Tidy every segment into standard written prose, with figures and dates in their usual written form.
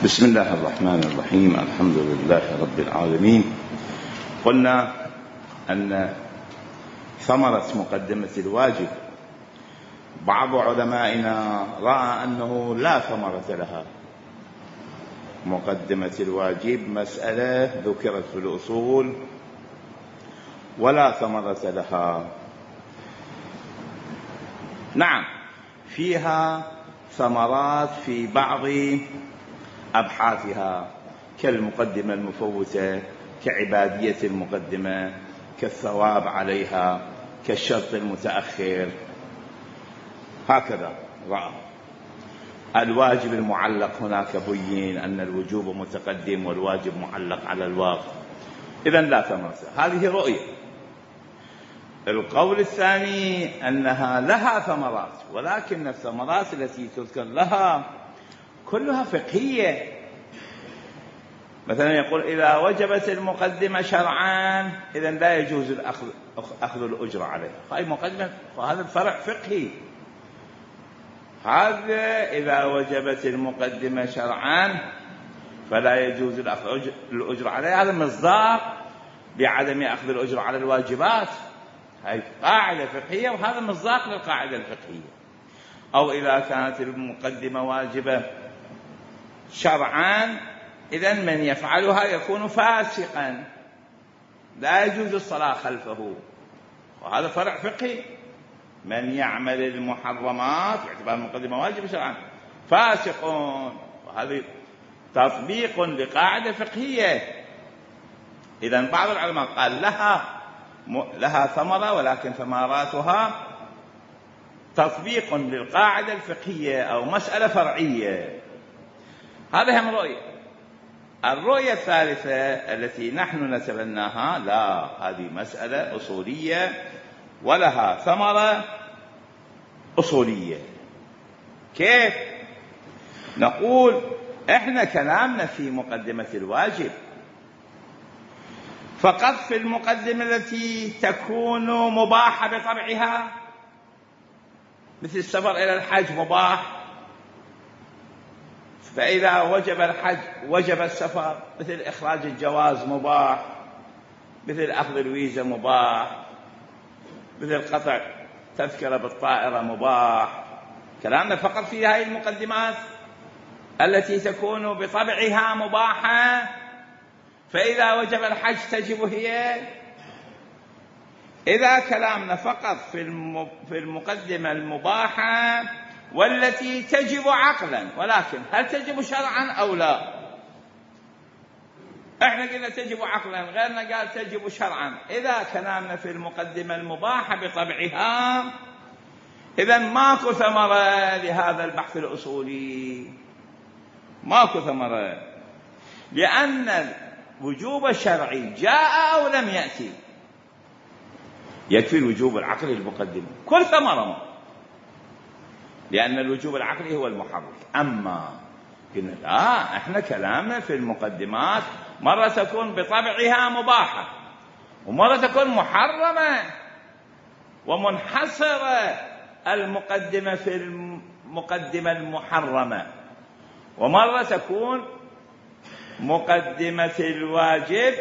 بسم الله الرحمن الرحيم. الحمد لله رب العالمين. قلنا أن ثمرة مقدمة الواجب بعض علمائنا رأى أنه لا ثمرة لها. مقدمة الواجب مسألة ذكرت في الأصول ولا ثمرة لها. نعم، فيها ثمرات في بعض أبحاثها كالمقدمة المفوتة، كعبادية المقدمة، كالثواب عليها، كالشرط المتأخر. هكذا رأى. الواجب المعلق هناك بين أن الوجوب متقدم والواجب معلق على الواقع، إذن لا ثمرة. هذه رؤية. القول الثاني أنها لها ثمرات، ولكن الثمرات التي تذكر لها كلها فقهية. مثلا يقول إذا وجبت المقدمة شرعان إذن لا يجوز أخذ الأجرة عليها. هاي مقدمة، وهذا الفرع فقهي. هذا إذا وجبت المقدمة شرعان فلا يجوز الأجرة عليها، هذا مصداق بعدم أخذ الأجرة على الواجبات. هاي قاعدة فقهية، وهذا مصداق للقاعدة الفقهية. أو إذا كانت المقدمة واجبة شرعان إذن من يفعلها يكون فاسقا، لا يجوز الصلاة خلفه، وهذا فرع فقهي. من يعمل المحرمات باعتبار المقدمة واجبة شرعا فاسق، وهذا تطبيق لقاعدة فقهية. إذن بعض العلماء قال لها ثمرة، ولكن ثمراتها تطبيق للقاعدة الفقهية أو مسألة فرعية. هذا هم رؤية. الرؤية الثالثة التي نحن نتبناها، لا، هذه مسألة أصولية ولها ثمرة أصولية. كيف؟ نقول إحنا كلامنا في مقدمة الواجب فقط في المقدمة التي تكون مباحة بطبعها، مثل السفر إلى الحج مباح، فإذا وجب الحج وجب السفر، مثل إخراج الجواز مباح، مثل أخذ الفيزا مباح، مثل قطع تذكرة بالطائرة مباح. كلامنا فقط في هذه المقدمات التي تكون بطبعها مباحة، فإذا وجب الحج تجب هي. إذا كلامنا فقط في المقدمة المباحة والتي تجب عقلا، ولكن هل تجب شرعا أو لا؟ احنا قلنا تجب عقلا، غيرنا قال تجب شرعا. إذا كلامنا في المقدمة المباحة بطبعها إذن ماكو ثمرة لهذا البحث الأصولي، ماكو ثمرة، لأن الوجوب الشرعي جاء أو لم يأتي، يكفي الوجوب العقلي المقدم كل ثمرة، لأن الوجوب العقلي هو المحرك. أما قلنا لا، احنا كلامنا في المقدمات مرة تكون بطبعها مباحة، ومرة تكون محرمة ومنحصرة المقدمة في المقدمة المحرمة، ومرة تكون مقدمة الواجب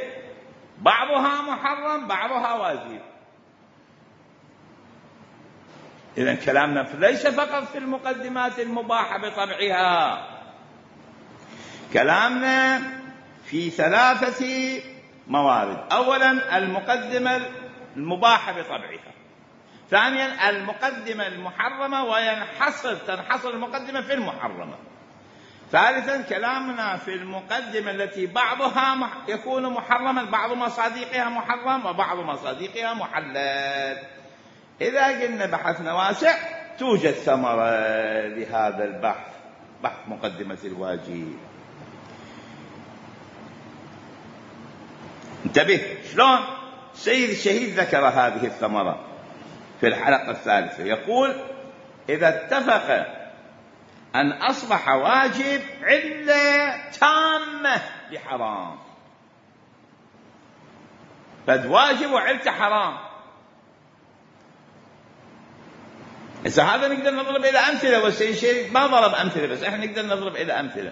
بعضها محرم بعضها واجب. إذن كلامنا ليس فقط في المقدمات المباحة بطبعها، كلامنا في ثلاثة موارد. أولا المقدمة المباحة بطبعها، ثانيا المقدمة المحرمة تنحصر المقدمة في المحرمة، ثالثا كلامنا في المقدمة التي بعضها يكون محرما، بعض مصادقها محرم وبعض مصادقها محلل. إذا قلنا بحثنا واسع توجد ثمرة لهذا البحث، بحث مقدمة الواجب. انتبه شلون سيد الشهيد ذكر هذه الثمرة في الحلقة الثالثة. يقول إذا اتفق أن أصبح واجب علة تامة لحرام، فد واجب وعلته حرام. إذا هذا نقدر نضرب إلى أمثلة، والسيد الشهيد ما ضرب أمثلة، بس إحنا نقدر نضرب إلى أمثلة.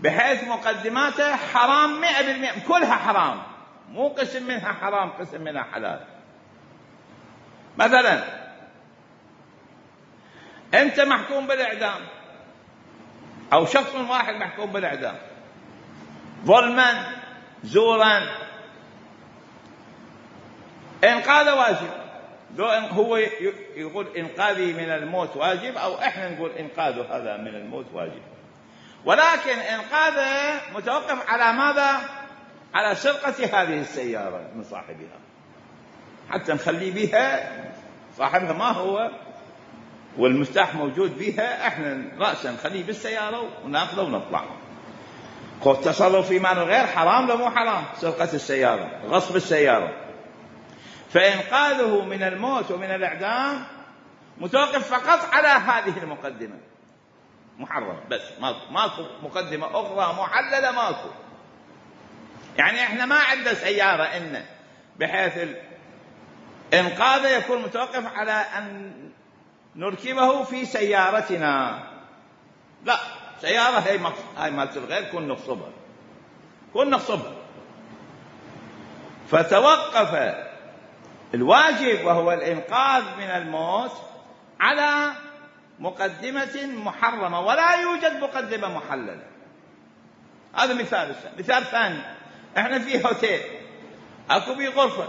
بحيث مقدماته حرام 100%، كلها حرام، مو قسم منها حرام قسم منها حلال. مثلا أنت محكوم بالإعدام أو شخص واحد محكوم بالإعدام ظلما زورا، إنقاذه واجب. هو يقول إنقاذي من الموت واجب، أو إحنا نقول إنقاذه هذا من الموت واجب، ولكن إنقاذه متوقف على ماذا؟ على سرقة هذه السيارة من صاحبها، حتى نخلي بها صاحبها ما هو والمفتاح موجود بها، إحنا رأسا نخليه بالسيارة ونأخذه ونطلع. التصرف في مال الغير حرام لو مو حرام؟ سرقة السيارة، غصب السيارة. فإنقاذه من الموت ومن الإعدام متوقف فقط على هذه المقدمة، محرم بس، ماكو مقدمة أخرى محللة، ماكو. يعني إحنا ما عندنا سيارة إن بحيث إنقاذه يكون متوقف على أن نركبه في سيارتنا، لا، سيارة هاي مالت الغير كن نغصبها. فتوقف الواجب وهو الإنقاذ من الموت على مقدمة محرمة، ولا يوجد مقدمة محللة. هذا مثال. مثال ثاني، احنا في هوتيل، اكو بيه غرفة،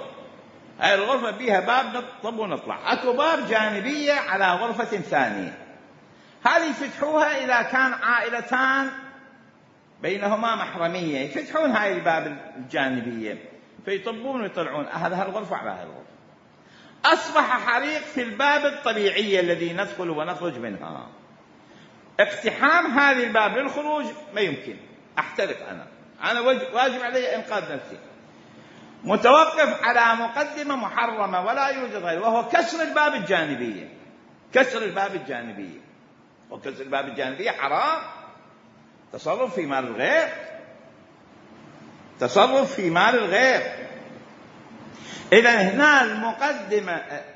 هاي الغرفة بيها باب نطب ونطلع، اكو باب جانبية على غرفة ثانية، هذه يفتحوها إذا كان عائلتان بينهما محرمية، يفتحون هاي الباب الجانبية فيطبون ويطلعون هذا الغرفة على هاي الغرفة. أصبح حريق في الباب الطبيعي الذي ندخل ونخرج منها، اقتحام هذه الباب للخروج ما يمكن، أحترق أنا واجب علي إنقاذ نفسي. متوقف على مقدمة محرمة ولا يوجد غيره، وهو كسر الباب الجانبية. كسر الباب الجانبية، وكسر الباب الجانبية حرام، تصرف في مال الغير، تصرف في مال الغير. إذا هنا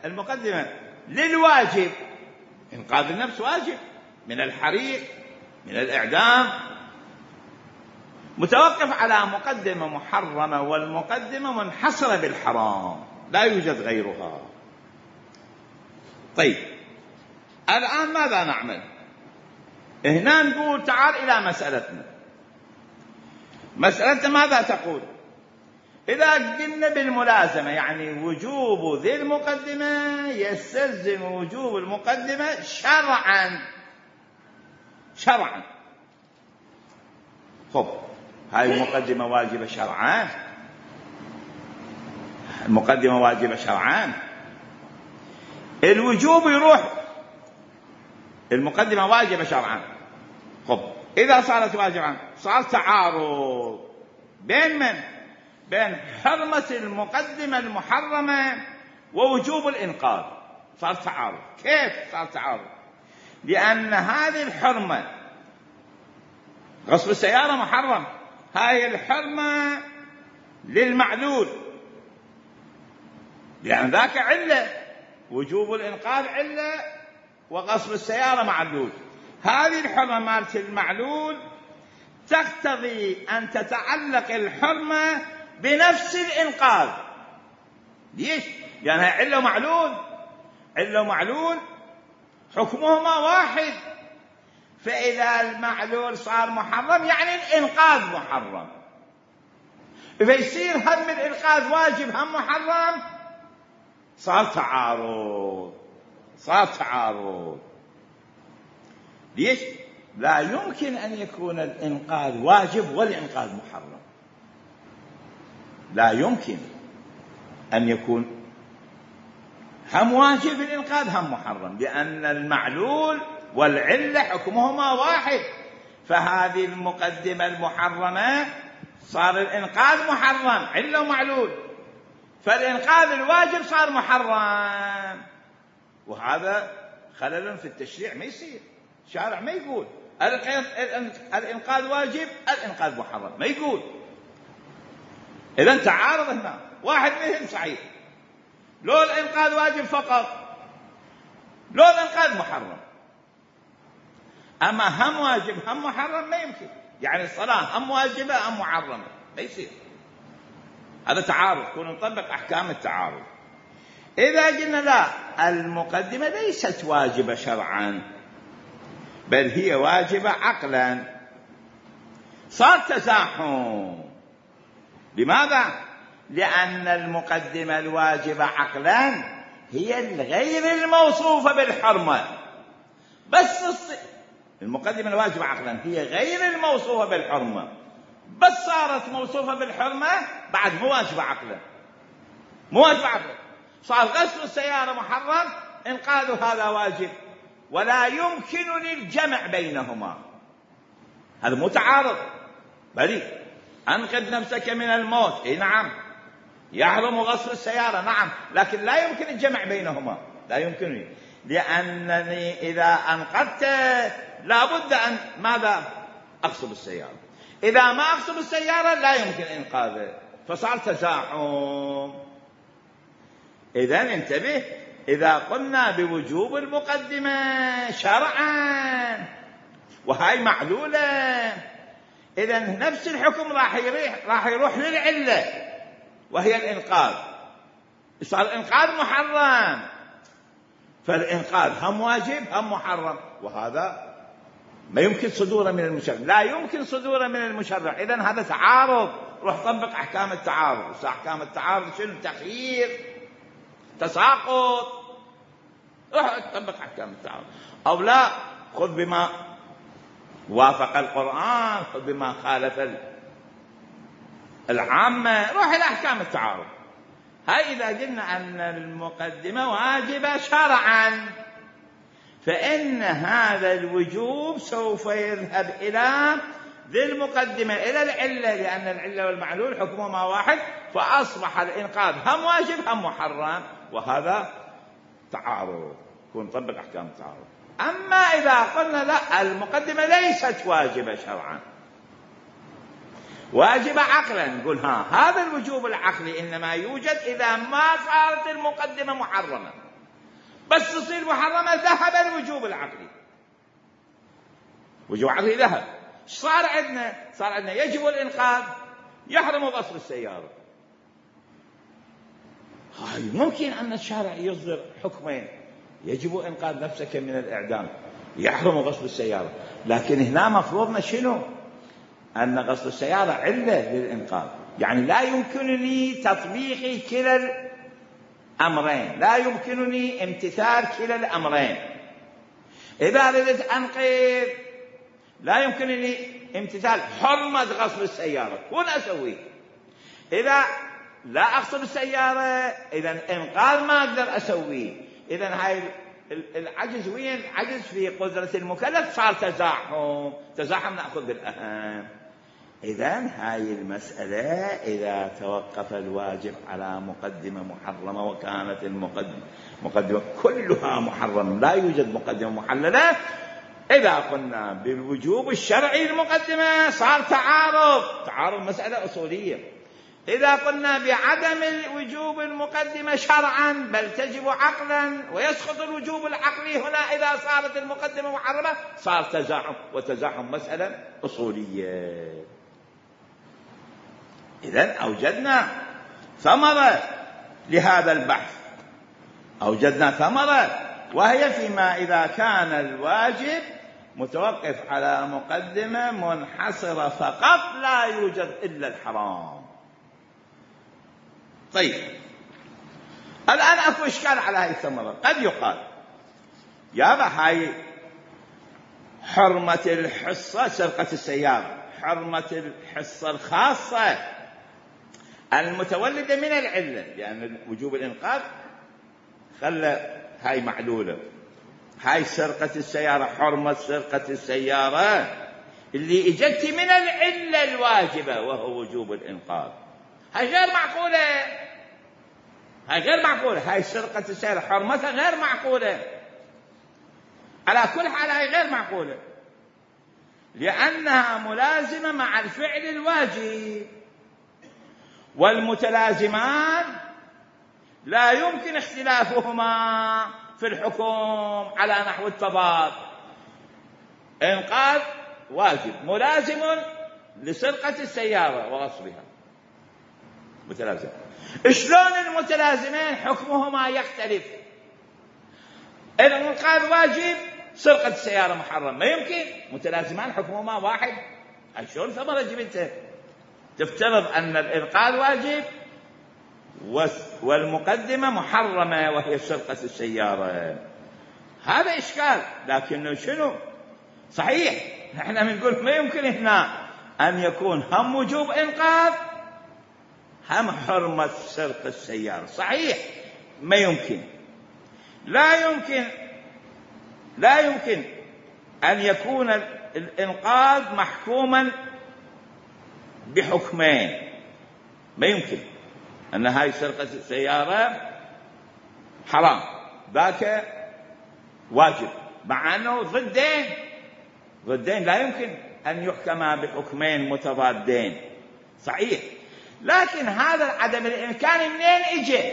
المقدمة للواجب، إنقاذ النفس واجب من الحريق من الإعدام، متوقف على مقدمة محرمة، والمقدمة منحصرة بالحرام لا يوجد غيرها. طيب الآن ماذا نعمل؟ هنا نقول تعال إلى مسألتنا ماذا تقول؟ إذا قلنا بالملازمة، يعني وجوب ذي المقدمة يستلزم وجوب المقدمة شرعا. خب هاي المقدمة واجبة شرعا، المقدمة واجبة شرعا، الوجوب يروح المقدمة واجبة شرعا. خب إذا صارت واجبا صار تعارض بين من؟ بين حرمة المقدمة المحرمة ووجوب الإنقاذ، صار تعارض. كيف صار تعارض؟ لأن هذه الحرمة غصب السيارة محرم، هاي الحرمة للمعلول، لأن ذاك علة، وجوب الإنقاذ علة وغصب السيارة معلول. هذه الحرمة مالت المعلول تقتضي أن تتعلق الحرمة بنفس الإنقاذ. ليش؟ لأنها علة ومعلول حكمهما واحد، فإذا المعلول صار محرم يعني الإنقاذ محرم، فيصير هم الإنقاذ واجب هم محرم، صار تعارض. ليش؟ لا يمكن أن يكون الإنقاذ واجب والإنقاذ محرم، لا يمكن أن يكون هم واجب الإنقاذ هم محرم، لأن المعلول والعلة حكمهما واحد. فهذه المقدمة المحرمة صار الإنقاذ محرم، علة ومعلول، فالإنقاذ الواجب صار محرم، وهذا خلل في التشريع ما يصير. الشارع ما يقول الإنقاذ واجب الإنقاذ محرم، ما يقول. إذن تعارض هنا، واحد منهم صحيح، لو الإنقاذ واجب فقط، لو الإنقاذ محرم. أما هم واجب هم محرم ما يمكن، يعني الصلاة هم واجبة هم محرمة ما يصير، هذا تعارض، كون نطبق أحكام التعارض. إذا قلنا لا، المقدمة ليست واجبة شرعا بل هي واجبة عقلا، صار تزاحم. لماذا؟ لأن المقدمة الواجبة عقلا هي الغير الموصوفة بالحرمة، بس المقدمة الواجبة عقلا هي غير الموصوفة بالحرمة، بس صارت موصوفة بالحرمة بعد مو واجبة عقلا، مو واجبة عقلا. صار غسل السيارة محرم، انقاذ هذا واجب، ولا يمكن الجمع بينهما. هذا مو تعارض، بل أنقذ نفسك من الموت، إيه نعم، يحرم غسل السيارة نعم، لكن لا يمكن الجمع بينهما، لا يمكنني، لأنني إذا أنقذت لابد أن ماذا؟ أغصب السيارة، إذا ما أغصب السيارة لا يمكن إنقاذه، فصار تزاحم. إذن انتبه، إذا قلنا بوجوب المقدمة شرعا وهاي معلولة، إذن نفس الحكم راح يروح للعلة وهي الإنقاذ، صار الإنقاذ محرم، فالإنقاذ هم واجب هم محرم، وهذا ما يمكن صدوره من المشرع، لا يمكن صدوره من المشرع. إذن هذا تعارض، روح طبق أحكام التعارض. أحكام التعارض شنو؟ تخيير، تساقط، روح طبق أحكام التعارض، أو لا خذ بما وافق القرآن، خذ بما خالف العامة، روح إلى أحكام التعارض. هاي إذا قلنا أن المقدمة واجبة شرعا، فإن هذا الوجوب سوف يذهب إلى ذي المقدمة، إلى العلة، لأن العلة والمعلول حكمهما واحد، فأصبح الإنقاذ هم واجب هم محرم، وهذا تعارض، كون نطبق أحكام التعارض. أما إذا قلنا لا، المقدمة ليست واجبة شرعا، واجبة عقلا، نقول هذا الوجوب العقلي إنما يوجد إذا ما صارت المقدمة محرمة، بس تصير محرمة ذهب الوجوب العقلي، وجوب عقلي ذهب. صار عندنا يجب الإنقاذ، يحرم غسل السيارة. هاي ممكن أن الشارع يصدر حكمين، يجب إنقاذ نفسك من الإعدام، يحرم غسل السيارة، لكن هنا مفروضنا شنو؟ أن غسل السيارة علة للإنقاذ، يعني لا يمكنني تطبيق كلا الأمرين، لا يمكنني امتثال كلا الأمرين. إذا أردت أنقذ لا يمكنني امتثال حرمة غسل السيارة، كون أسوي. إذا لا أغسل السيارة إذا إنقاذ ما أقدر أسويه. إذا هاي العجز وين؟ عجز في قدرة المكلف، صار تزاحم نأخذ بالأهم. إذن هاي المسألة إذا توقف الواجب على مقدمة محرمة وكانت المقدمة كلها محرمة، لا يوجد مقدمة محللة، إذا قلنا بالوجوب الشرعي المقدمة صار تعارض مسألة أصولية. إذا قلنا بعدم الوجوب المقدمة شرعا بل تجب عقلا، ويسقط الوجوب العقلي هنا إذا صارت المقدمة محرمة، صار تزاحم، وتزاحم مسألة أصولية. إذن أوجدنا ثمرة لهذا البحث، أوجدنا ثمرة، وهي فيما إذا كان الواجب متوقف على مقدمة منحصرة فقط لا يوجد إلا الحرام. طيب الآن أكو إشكال على هذه الثمرة. قد يقال يا هاي حرمة الحصة سرقة السيارة، حرمة الحصة الخاصة المتولدة من العلة، لأن وجوب الإنقاذ خلى هاي معلولة، هاي سرقة السيارة، حرمة سرقة السيارة اللي اجت من العلة الواجبة وهو وجوب الإنقاذ، هاي غير معقولة، هاي غير معقولة، هاي سرقة السيارة حرمتها غير معقولة، على كل حال هاي غير معقولة، لأنها ملازمة مع الفعل الواجب، والمتلازمان لا يمكن اختلافهما في الحكم على نحو التضاد. إنقاذ واجب ملازم لسرقة السيارة وغصبها، متلازم. شلون المتلازمين حكمهما يختلف؟ الإنقاذ واجب، سرقة السيارة محرم، ما يمكن متلازمان حكمهما واحد. شلون ثمرة جبتها؟ تفترض أن الإنقاذ واجب والمقدمة محرمة وهي سرقة السيارة. هذا إشكال. لكن شنو صحيح نحن بنقول ما يمكن هنا أن يكون هم وجوب إنقاذ هم حرمة سرقة السيارة. صحيح ما يمكن، لا يمكن أن يكون الإنقاذ محكوما بحكمين. ما يمكن أن هاي سرقة السيارة حرام ذاك واجب، مع أنه ضدين لا يمكن أن يحكما بحكمين متضادين. صحيح، لكن هذا عدم الإمكان منين إجي؟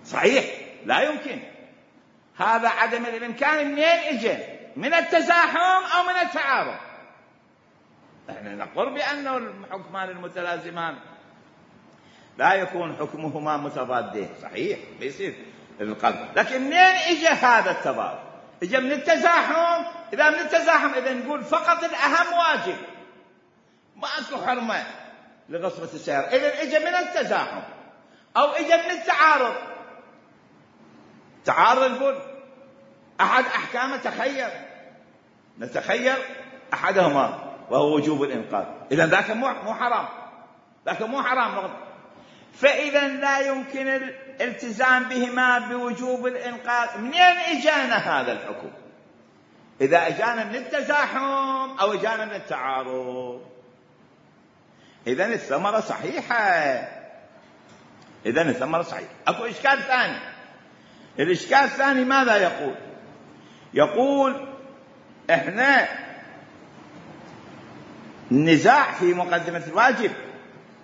صحيح لا يمكن. هذا عدم الإمكان منين إجي؟ من التزاحم أو من التعارض؟ نحن نقر بأنه الحكمان المتلازمان لا يكون حكمهما متضادين. صحيح بيصير القلب، لكن منين إجي هذا التضاد؟ إجي من التزاحم. إذا من التزاحم إذا نقول فقط الأهم واجب، ما أكو حرمة لغصبة السيارة. إذا إجي من التزاحم أو إجي من التعارض. تعارض نقول أحد أحكامه نتخير أحدهما وهو وجوب الإنقاذ. إذا ذاك مو حرام، ذاك مو حرام نقطة. فإذا لا يمكن الالتزام بهما بوجوب الإنقاذ. منين إجانا هذا الحكم؟ إذا إجانا من التزاحم أو إجانا من التعارض. إذن الثمرة صحيحة. أكو إشكال ثاني. الإشكال الثاني ماذا يقول؟ يقول إحنا النزاع في مقدمة الواجب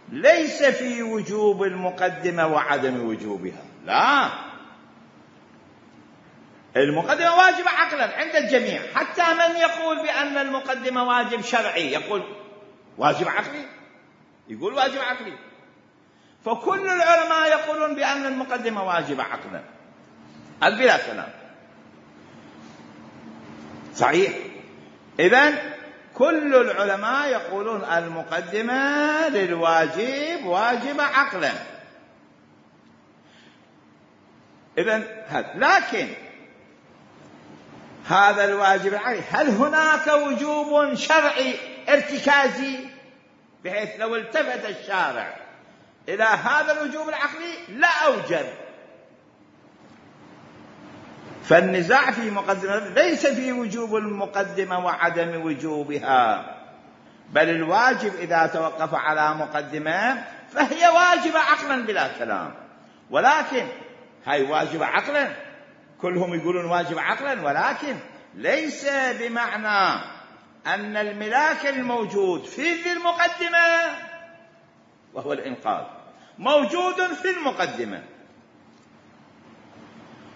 ليس في وجوب المقدمة وعدم وجوبها. لا، المقدمة واجبة عقلا عند الجميع، حتى من يقول بأن المقدمة واجب شرعي يقول واجب عقلي، يقول واجب عقلي. فكل العلماء يقولون بأن المقدمة واجبة عقلا بلا كلام. صحيح. إذن كل العلماء يقولون المقدمة للواجب واجبة عقلا. إذن لكن هذا الواجب العقلي هل هناك وجوب شرعي ارتكازي بحيث لو التفت الشارع إلى هذا الوجوب العقلي لا أوجب؟ فالنزاع في مقدمة ليس في وجوب المقدمة وعدم وجوبها، بل الواجب إذا توقف على مقدمة فهي واجبة عقلا بلا كلام. ولكن هاي واجبة عقلا، كلهم يقولون واجبة عقلا، ولكن ليس بمعنى أن الملاك الموجود في ذي المقدمة وهو الإنقاذ موجود في المقدمة.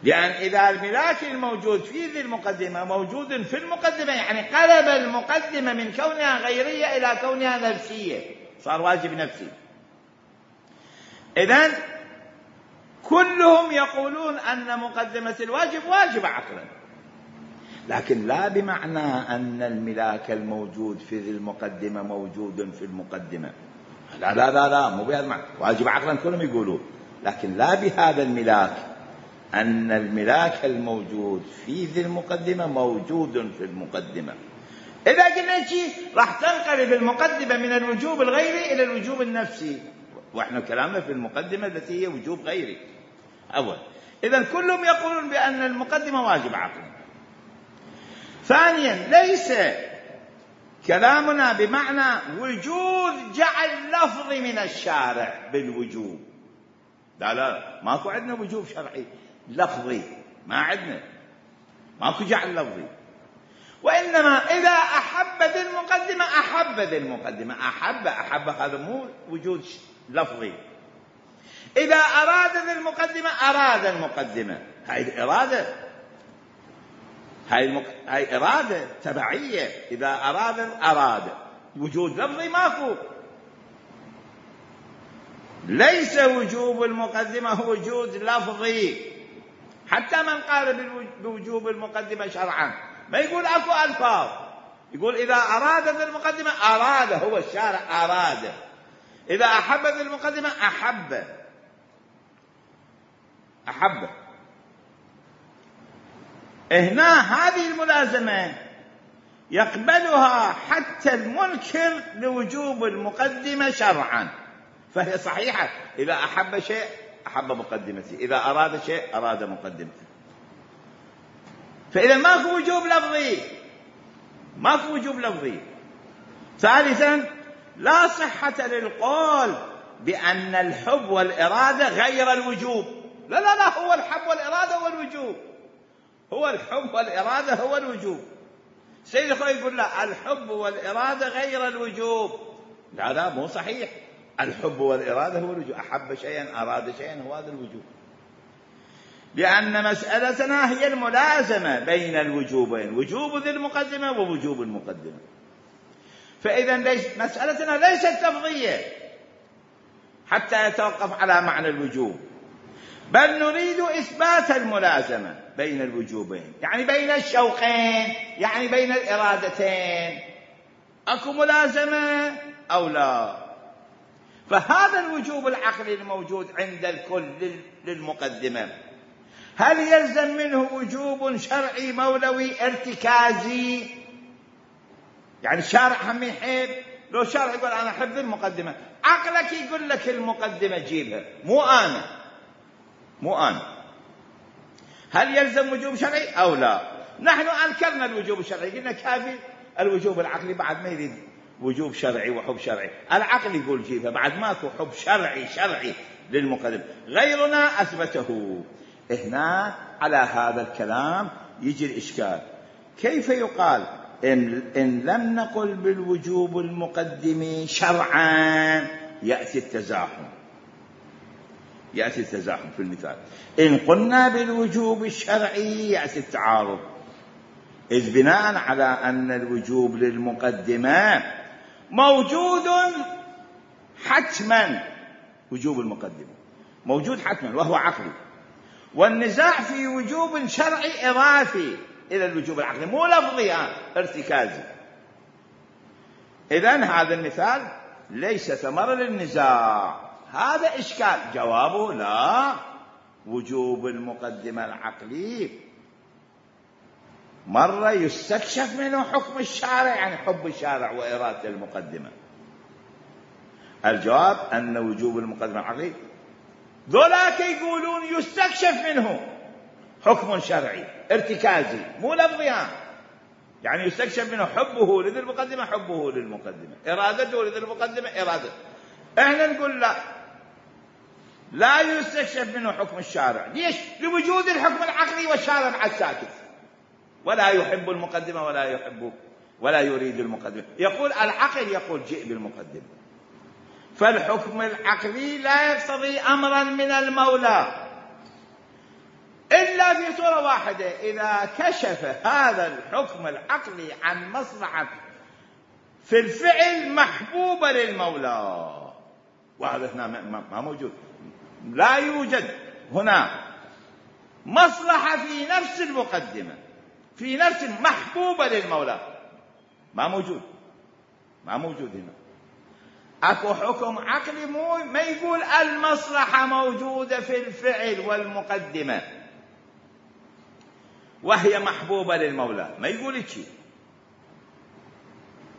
لأن إذا الملاك الموجود في ذي المقدمة موجود في المقدمة يعني قلب المقدمة من كونها غيرية إلى كونها نفسية، صار واجب نفسي. إذن كلهم يقولون أن مقدمة الواجب واجب عقلا، لكن لا بمعنى أن الملاك الموجود في ذي المقدمة موجود في المقدمة. لا لا لا لا، مو بهذا المعنى. واجب عقلا كلهم يقولون، لكن لا بهذا الملاك، أن الملاك الموجود في ذي المقدمة موجود في المقدمة. إذا قلنا شيء راح تنقلب المقدمة من الوجوب الغيري إلى الوجوب النفسي، وإحنا كلامنا في المقدمة التي هي وجوب غيري أول. إذن كلهم يقولون بأن المقدمة واجب عقلا. ثانيا ليس كلامنا بمعنى وجود جعل لفظي من الشارع بالوجوب. لا لا، ماكو عندنا وجوب شرعي لفظي، ما عندنا، ماكو جعل لفظي. وإنما إذا أحب ذي المقدمة أحب ذي المقدمة. أحب هذا مو وجود لفظي. إذا أراد ذي المقدمة أراد المقدمة، هاي الإرادة. هاي إرادة تبعية. إذا أراد وجود لفظي ماكو. ليس وجوب المقدمة هو وجود لفظي. حتى من قال بوجوب المقدمة شرعا ما يقول أكو ألفاظ، يقول إذا أراد ذي المقدمة أراد، هو الشارع أراد. إذا أحب ذي المقدمة أحب. هنا هذه الملازمة يقبلها حتى المنكر لوجوب المقدمة شرعا، فهي صحيحة. إذا أحب شيء أحب مقدمته، إذا أراد شيء أراد مقدمته. فإذا ماكو وجوب لفظي. ثالثا، لا صحة للقول بأن الحب والإرادة غير الوجوب. لا، هو الحب والإرادة هو الوجوب. هو الحب والإرادة هو الوجوب. سيد الخوي يقول لا، الحب والإرادة غير الوجوب. لا مو صحيح. الحب والإرادة هو الوجوب. أحب شيئا أراد شيئا هو هذا الوجوب. لأن مسألتنا هي الملازمة بين الوجوبين، وجوب ذي المقدمة ووجوب المقدمة. فإذا مسألتنا ليست لفظية حتى يتوقف على معنى الوجوب، بل نريد إثبات الملازمة بين الوجوبين، يعني بين الشوقين، يعني بين الإرادتين. أكو ملازمة أو لا؟ فهذا الوجوب العقلي الموجود عند الكل للمقدمة، هل يلزم منه وجوب شرعي مولوي ارتكازي؟ يعني الشارع هم يحب، لو الشارع يقول أنا أحب المقدمة، عقلك يقول لك المقدمة جيبها، مو أنا. هل يلزم وجوب شرعي أو لا؟ نحن أنكرنا الوجوب الشرعي، قلنا كافي الوجوب العقلي، بعد ما يريد وجوب شرعي وحب شرعي. العقل يقول جيبها، بعد ماكو حب شرعي للمقدمة. غيرنا أثبته. هنا على هذا الكلام يجي الإشكال. كيف يقال إن لم نقل بالوجوب المقدم شرعا يأتي التزاحم في المثال. إن قلنا بالوجوب الشرعي يأتي التعارض، إذ بناء على أن الوجوب للمقدمة موجود حتما، وجوب المقدمة موجود حتما وهو عقلي، والنزاع في وجوب شرعي إضافي إلى الوجوب العقلي، مو لفظي ارتكازي. إذن هذا المثال ليس ثمرة للنزاع. هذا إشكال. جوابه لا، وجوب المقدمة العقلي مرة يستكشف منه حكم الشارع، يعني حب الشارع وإرادة المقدمة. الجواب أن وجوب المقدمة العقلي ذولاك يقولون يستكشف منه حكم شرعي ارتكازي مو لفظي، يعني يستكشف منه حبه لذي المقدمة حبه للمقدمة، إرادته لذي المقدمة إرادته. احنا نقول لا يستكشف منه حكم الشارع. ليش؟ لوجود الحكم العقلي، والشارع بعد ساكت، ولا يحب المقدمة ولا يريد المقدمة. يقول العقل يقول جئ بالمقدمة. فالحكم العقلي لا يقتضي أمرا من المولى إلا في صورة واحدة، إذا كشف هذا الحكم العقلي عن مصلحة في الفعل محبوبة للمولى، وهذا هنا ما موجود. لا يوجد هنا مصلحة في نفس المقدمة، في نفس محبوبة للمولى، ما موجود هنا. أكو حكم عقلي ما يقول المصلحة موجودة في الفعل والمقدمة وهي محبوبة للمولى، ما يقول شيء.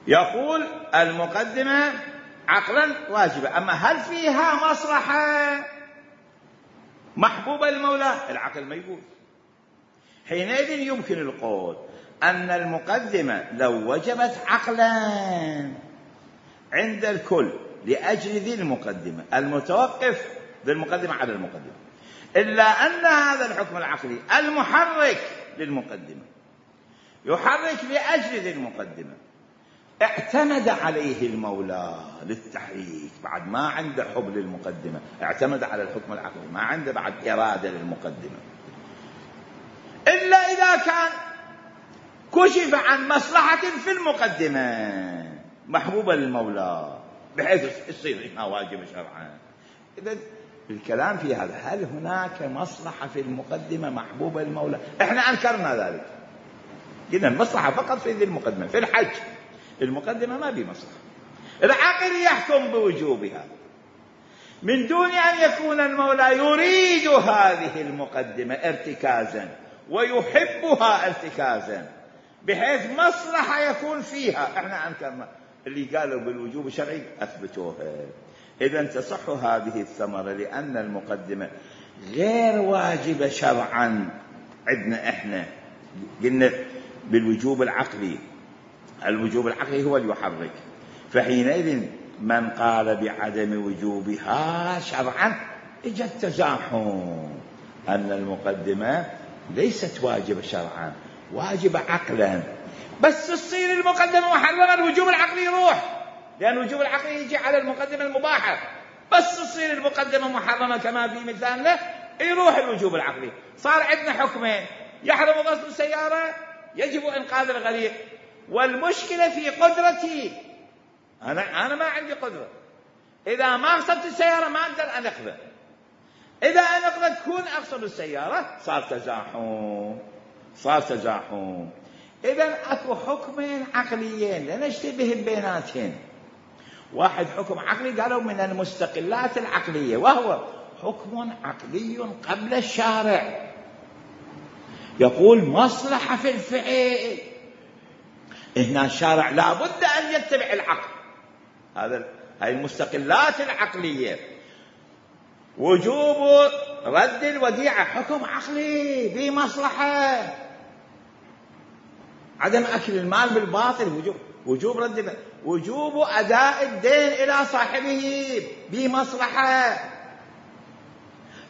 يقول المقدمة عقلا واجبة، أما هل فيها مصلحة محبوبة للمولى؟ العقل ما يقول. حينئذ يمكن القول أن المقدمة لو وجبت عقلا عند الكل لأجل ذي المقدمة، المتوقف ذي المقدمة على المقدمة، إلا أن هذا الحكم العقلي المحرك للمقدمة يحرك لأجل ذي المقدمة، اعتمد عليه المولى للتحريك، بعد ما عنده حب للمقدمة، اعتمد على الحكم العقلي، ما عنده بعد إرادة للمقدمة. إلا إذا كان كشف عن مصلحة في المقدمة محبوبة للمولى بحيث يصير إنها واجبة شرعا. إذا الكلام في هذا، هل هناك مصلحة في المقدمة محبوبة للمولى؟ إحنا أنكرنا ذلك، قلنا المصلحة فقط في ذي المقدمة. في الحج المقدمة ما بمصلحة، العقل يحكم بوجوبها من دون أن يكون المولى يريد هذه المقدمة ارتكازا ويحبها ارتكازا بحيث مصلحة يكون فيها. احنا أنكرنا، اللي قالوا بالوجوب الشرعي أثبتوها. إذا تصح هذه الثمرة لأن المقدمة غير واجبة شرعا عندنا. احنا قلنا بالوجوب العقلي، الوجوب العقلي هو اللي يحرك، فحينئذ من قال بعدم وجوبها شرعا اجى التزاحم أن المقدمة ليست واجبة شرعا، واجبة عقلا. بس تصير المقدمة محرمة، الوجوب العقلي يروح، لأن الوجوب العقلي يجي على المقدمة المباحة. بس تصير المقدمة محرمة كما في مثالنا، يروح الوجوب العقلي. صار عندنا حكمين: يحرم غسل السيارة، يجب إنقاذ الغريق. والمشكلة في قدرتي، أنا ما عندي قدرة. إذا ما غسلت السيارة ما أقدر أنقذ، إذا أنقذ تكون أغسل السيارة. صار تزاحم. إذا أكو حكمين عقليين لنشتبه بيناتهم. واحد حكم عقلي قالوا من المستقلات العقلية، وهو حكم عقلي قبل الشارع، يقول مصلحة في الفعل. هنا الشارع لا بد أن يتبع العقل. هاي المستقلات العقلية. وجوب رد الوديعة حكم عقلي بمصلحة. عدم أكل المال بالباطل وجوب رد، وجوب أداء الدين إلى صاحبه بمصلحة.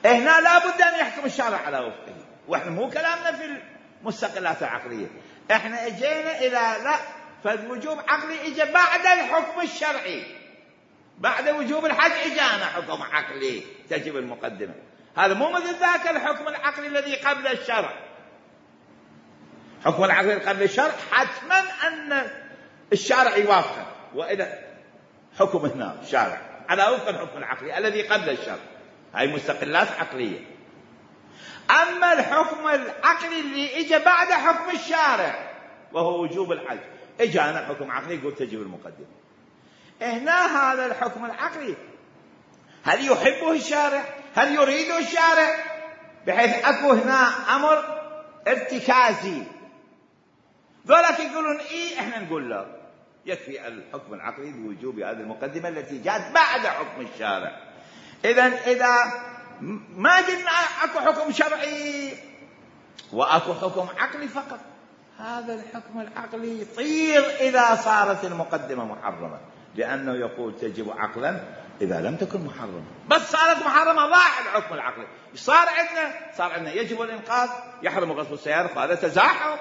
هنا لا بد أن يحكم الشارع على وفقه. وإحنا مو كلامنا في المستقلات العقلية، إحنا اجينا إلى لا، فالوجوب عقلي اجى بعد الحكم الشرعي. بعد وجوب الحج اجانا حكم عقلي تجب المقدمة. هذا مو مثل ذاك الحكم العقلي الذي قبل الشرع. حكم العقل قبل الشرع حتما أن الشارع يوافقه، وإذا حكم هنا الشارع على وفق الحكم العقلي الذي قبل الشرع. هاي مستقلات عقلية. أما الحكم العقلي اللي إجا بعد حكم الشارع وهو وجوب الحج، إجانا حكم عقلي يقول تجب المقدمة. هنا هذا الحكم العقلي هل يحبه الشارع؟ هل يريده الشارع؟ بحيث أكو هنا أمر ارتكازي. ذلك يقولون إيه، إحنا نقول لا، يكفي الحكم العقلي بوجوب هذه المقدمة التي جاءت بعد حكم الشارع. إذا ما قلنا أكو حكم شرعي وأكو حكم عقلي فقط، هذا الحكم العقلي يطير إذا صارت المقدمة محرمة، لأنه يقول تجب عقلا إذا لم تكن محرمة. بس صارت محرمة ضاع الحكم العقلي. صار عندنا يجب الإنقاذ، يحرم غسل السيارة، فهذا تزاحم،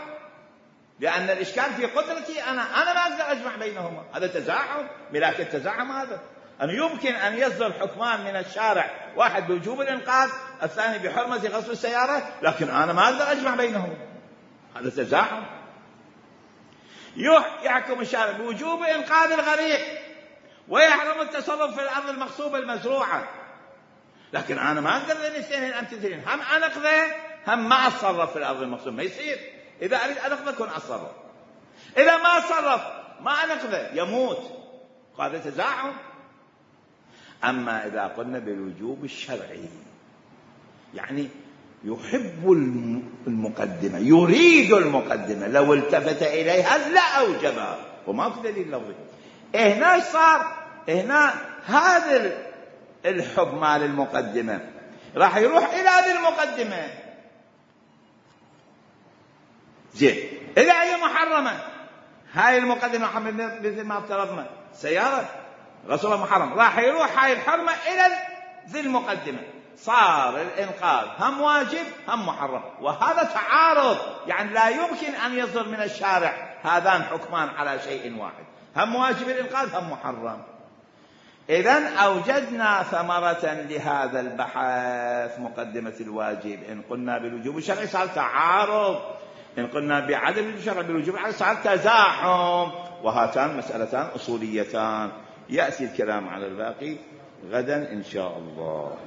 لأن الإشكال في قدرتي أنا ما أقدر أجمع بينهما. هذا تزاحم، ملاك التزاحم هذا. أن يمكن أن يصدر حكمان من الشارع، واحد بوجوب الإنقاذ، الثاني بحرمة غسل السيارة، لكن أنا ما أقدر أجمع بينهما. هذا تزاحم. يحكم الشارع بوجوب إنقاذ الغريق ويحرم التصرف في الأرض المغصوبة المزروعة، لكن أنا ما أقدر الاثنين أمتثلين، هم أنقذه هم ما أتصرف في الأرض المغصوبة. ما يصير. إذا أريد أنقذه كن أتصرف، إذا ما أتصرف ما أنقذه يموت. هذا تزاحم. أما إذا قلنا بالوجوب الشرعي، يعني يحب المقدمة، يريد المقدمة، لو التفت إليها لا أوجبها، وما في دليل لفظي. هنا صار هنا هذا الحب مال المقدمة راح يروح إلى هذه المقدمة. زين، إذا هي محرمة، هاي المقدمة مثل ما افترضنا سيارة غسلها محرم، راح يروح هاي الحرمة إلى ذي المقدمة. صار الإنقاذ هم واجب هم محرم، وهذا تعارض. يعني لا يمكن أن يصدر من الشارع هذان حكمان على شيء واحد، هم واجب الإنقاذ هم محرم. إذن أوجدنا ثمرة لهذا البحث، مقدمة الواجب. إن قلنا بالوجوب الشرعي صار تعارض إن قلنا بعدم الشرع بالوجوب صار تزاحم، وهاتان مسألتان أصوليتان. يأتي الكلام على الباقي غدا إن شاء الله.